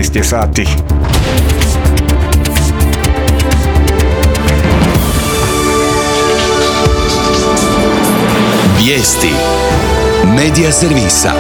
12 je sati. Vijesti Medija servisa.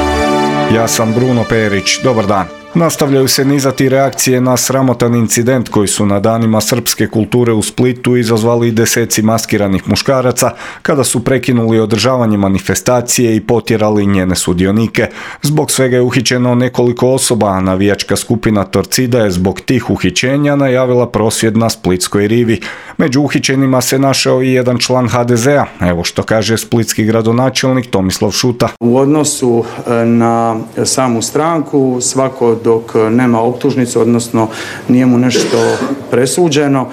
Ja sam Bruno Perić, dobar dan. Nastavljaju se nizati reakcije na sramotan incident koji su na danima srpske kulture u Splitu izazvali deseci maskiranih muškaraca kada su prekinuli održavanje manifestacije i potjerali njene sudionike. Zbog svega je uhićeno nekoliko osoba, a navijačka skupina Torcida je zbog tih uhićenja najavila prosvjed na Splitskoj rivi. Među uhićenima se našao i jedan član HDZ-a. Evo što kaže splitski gradonačelnik Tomislav Šuta. U odnosu na samu stranku, svako dok nema optužnicu, odnosno nije mu nešto presuđeno,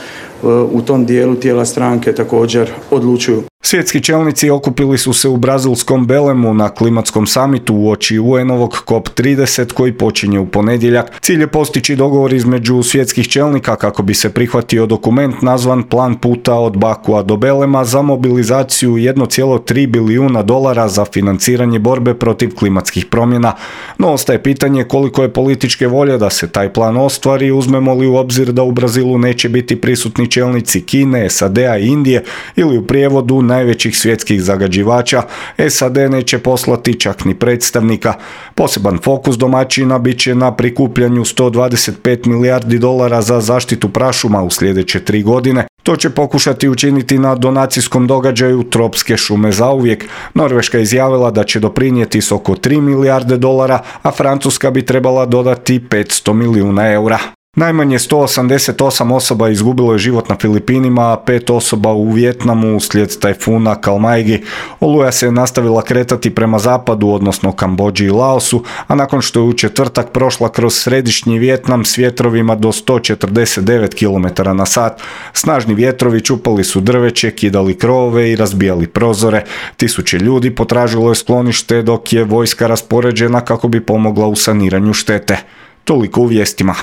u tom dijelu tijela stranke također odlučuju. Svjetski čelnici okupili su se u brazilskom Belemu na klimatskom samitu uoči UN-ovog COP30 koji počinje u ponedjeljak. Cilj je postići dogovor između svjetskih čelnika kako bi se prihvatio dokument nazvan Plan puta od Bakua do Belema za mobilizaciju $1,3 bilijuna za financiranje borbe protiv klimatskih promjena. No ostaje pitanje koliko je političke volje da se taj plan ostvari, uzmemo li u obzir da u Brazilu neće biti prisutni čelnici Kine, SAD-a i Indije ili u prijevodu najvećih svjetskih zagađivača, SAD neće poslati čak ni predstavnika. Poseban fokus domaćina bit će na prikupljanju $125 milijardi za zaštitu prašuma u sljedeće 3 godine. To će pokušati učiniti na donacijskom događaju Tropske šume zauvijek. Norveška je izjavila da će doprinijeti s oko $3 milijarde, a Francuska bi trebala dodati €500 milijuna. Najmanje 188 osoba izgubilo je život na Filipinima, a 5 osoba u Vijetnamu uslijed tajfuna Kalmaigi. Oluja se nastavila kretati prema zapadu, odnosno Kambodži i Laosu, a nakon što je u četvrtak prošla kroz središnji Vijetnam s vjetrovima do 149 km/h, snažni vjetrovi čupali su drveće, kidali krovove i razbijali prozore. Tisuće ljudi potražilo je sklonište dok je vojska raspoređena kako bi pomogla u saniranju štete. Toliko u vijestima.